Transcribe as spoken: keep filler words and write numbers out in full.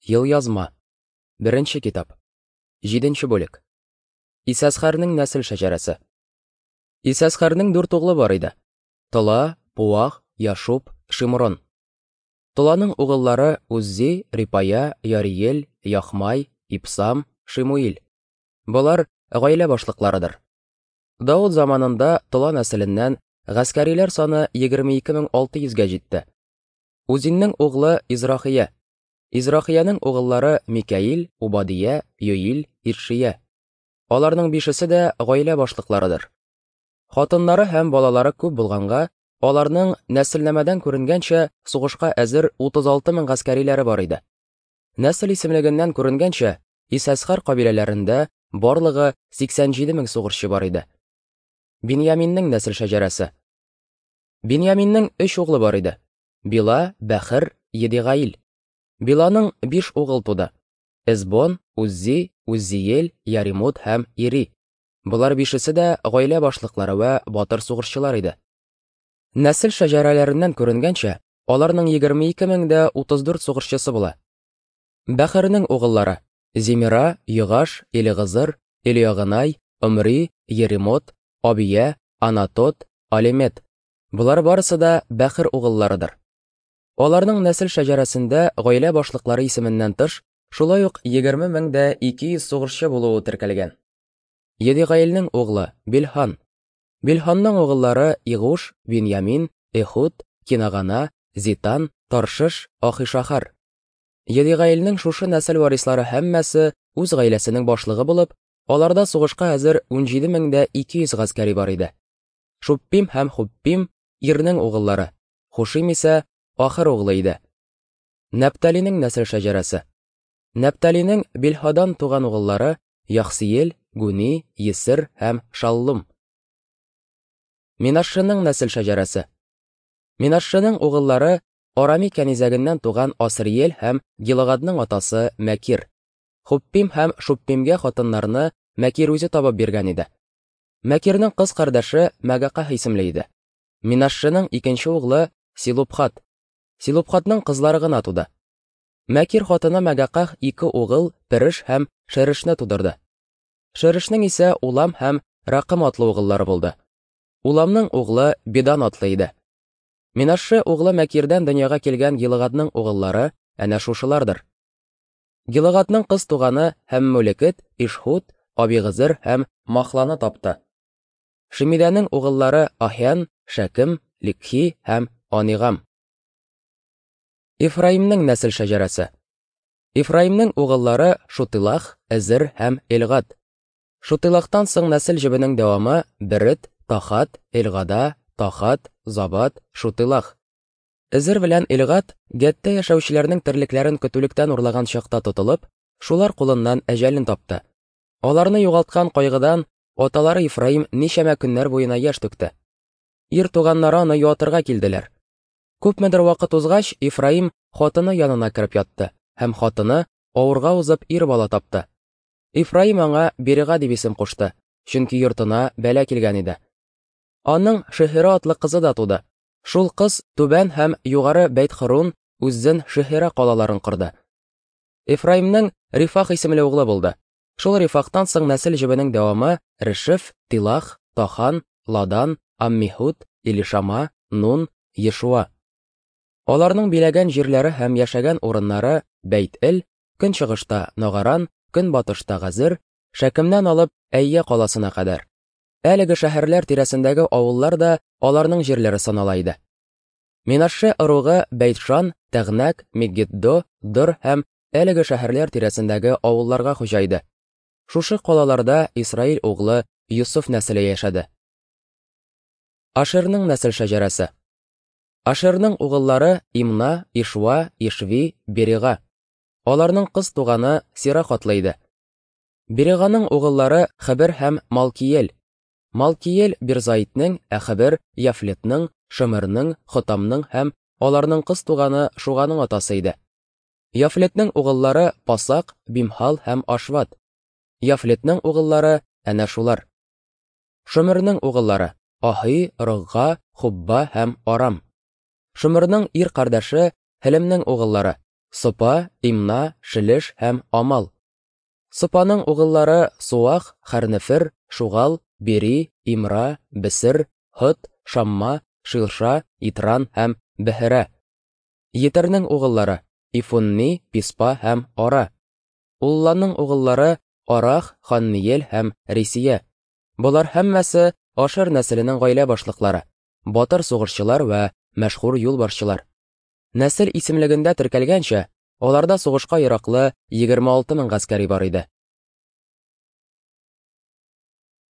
Елъязма. Беренче китап. Җиденче бүлек. Исәсхәрнең нәсел шәҗәрәсе. Исәсхәрнең дүрт углы бар иде: Тола, Пуах, Яшуб, Шимрон. Толаның угыллары Уззи, Рипая, Яриел, Яхмай, Ипсам, Шимуил. Болар гаилә башлыкларыдыр. Давыт заманында Тола нәселеннән гаскәриләр саны егерме ике мең алты йөзгә җитте. Узиннең углы Израхия. Израхияның угыллары Микаил, Убадия, Йоил, Ишия. Аларның бишесе дә гаилә башлыкларыдыр. Хатыннары һәм балалары күп булганга, аларның нәселнамәдән күренгәнчә сугышка әзер утыз алты мең гаскәриләре бар иде. Нәсел исемлегеннән күренгәнчә, Исәсхар кабиләләрендә барлыгы сиксән җиде мең сугышчы бар иде. Биньяминнең нәсел шәҗәрәсе. Биньяминнең өч углы бар иде: Била, Бәхер, Едигаил. Биланың биш угыл туды: Эзбон, Уззи, Уззиел, Яримут һәм Ири. Болар бишесе дә гаилә башлыклары вә батыр сугышчылар иде. Нәсел шәҗәрәләреннән күренгәнчә, аларның егерме ике мең дә утыз дүрт сугышчысы була. Бәхернең угыллары: Зимира, Йогаш, Элигызыр, Элиягынай, Омри, Еремот, Абия, Анатот, Алемет. Болар барысы да Бәхер угылларыдыр. Аларның нәсел шәҗәрәсендә гаилә башлыклары исеменнән тыш, шулай ук егерме мең дә ике йөз сугышчы булуы теркәлгән. Едигаилнең углы Билхан. Билханның угыллары Игуш, Биньямин, Эхуд, Кинагана, Зитан, Таршыш, Ахишахар. Едигаилнең шушы нәсел варислары һәммәсе үз гаиләсенең башлыгы булып, аларда сугышка әзер унҗиде мең дә ике йөз гаскәри бар иде. Шуппим һәм Хуппим Ирнең угыллары, Хушим исә Ахыр углы иде. Нәпталинең нәсел шәҗәрәсе. Нәпталинең Билһадан туган угыллары Яхсиел, Гуни, Есер һәм Шаллум. Минашшының нәсел шәҗәрәсе. Минашшының угыллары Арами кәнизәгеннән туган Асриел һәм Гилагадның атасы Мәкир. Хуппим һәм Шуппимгә хатыннарны Мәкир үзе табып биргән иде. Мәкирнең кыз кардәше Мәгаках исемле иде. Минашшының икенче углы Силупхат. Силупхатның кызлары гына туды. Мәкир хатыны Мәгаках ике угыл Переш һәм Шерешне тудырды. Шерешнең исә Улам һәм Ракым атлы угыллары булды. Уламның углы Бедан атлы иде. Минашше углы Мәкирдән дөньяга килгән Гилагадның угыллары әнә шушылардыр. Гилагадның кыз туганы һәм Мөлекет, Ишхуд, Абигызыр һәм Махланы тапты. Шимидәнең угыллары Ахян, Шәкем, Ликхи һәм Анигам. Ифраимнең нәсел шәҗәрәсе. Ифраимнең угыллары Шутилах, Эзер һәм Элгад. Шутилахтан соң нәсел җебенең дәвамы Берет, Тахат, Элгада, Тахат, Забат, Шутилах. Эзер белән Элгад Гәттә яшәүчеләрнең терлекләрен көтүлектән урлаган чакта тотылып, шулар кулыннан әҗәлен тапты. Аларны югалткан кайгыдан аталары Ифраим ничәмә көннәр буена яшь түкте. Ир туганнары аны юатырга килделәр. Күпмедер вакыт узгач, Ифраим хатыны янына кереп ятты һәм хатыны авырга узып ир бала тапты. Ифраим аңа Берига дип исем кушты, чөнки йортына бәла килгән иде. Аның Шехира атлы кызы да туды. Шул кыз Түбән һәм Югары Бәйт-Хөрун, Үззен Шехира калаларын корды. Ифраимның Рифах исемле углы булды. Шул Рифахтан соң нәсел җебенең дәвамы Решеф, Тилах, Тахан, Ладан, Аммихуд, Илишама, Нун, Ешуа. Аларның биләгән җирләре һәм яшәгән урыннары Бәйт-Эл, көнчыгышта Нагаран, көнбатышта Газыр, Шәкемнән алып Әйя каласына кадәр. Әлеге шәһәрләр тирәсендәге авыллар да аларның җирләре санала иде. Минашше ыругы Бәйтшан, Тәгънәк, Мегиддо, Дор һәм әлеге шәһәрләр тирәсендәге авылларга хуҗа иде. Шушы калаларда Исраил углы Юсуф нәселе яшәде. Ашерның нәсел шәҗәрәсе. Ашерның угыллары Имна, Ишва, Ишви, Берига. Аларның кыз туганы Сирах атлы иде. Бериганың угыллары Хәбер һәм Малкиел. Малкиел Бирзаитнең, ә Хәбер Яфлетның, Шомерның, Хотамның һәм аларның кыз туганы Шуганың атасы иде. Яфлетнең угыллары Пасак, Бимхал һәм Ашват. Яфлетнең угыллары әнә шулар. Шомерның угыллары Ахи, Рогга, Хубба һәм Арам. Шомерның ир кардәше Хелемнең угыллары Сопа, Имна, Шелеш һәм Амал. Сопаның угыллары Суах, Хәрнефер, Шугал, Бери, Имра, Бесер, Һот, Шамма, Шилша, Итран һәм Беһерә. Етернең угыллары Ифунни, Писпа һәм Ара. Улланың угыллары Арах, Ханниел һәм Рисия. Болар һәммәсе Ашер нәселенең гаилә башлыклары, батыр сугышчылар вә мәшһүр юлбашчылар. Нәсел исемлегендә теркәлгәнчә, аларда сугышка яраклы егерме алты мең гаскәри бар иде.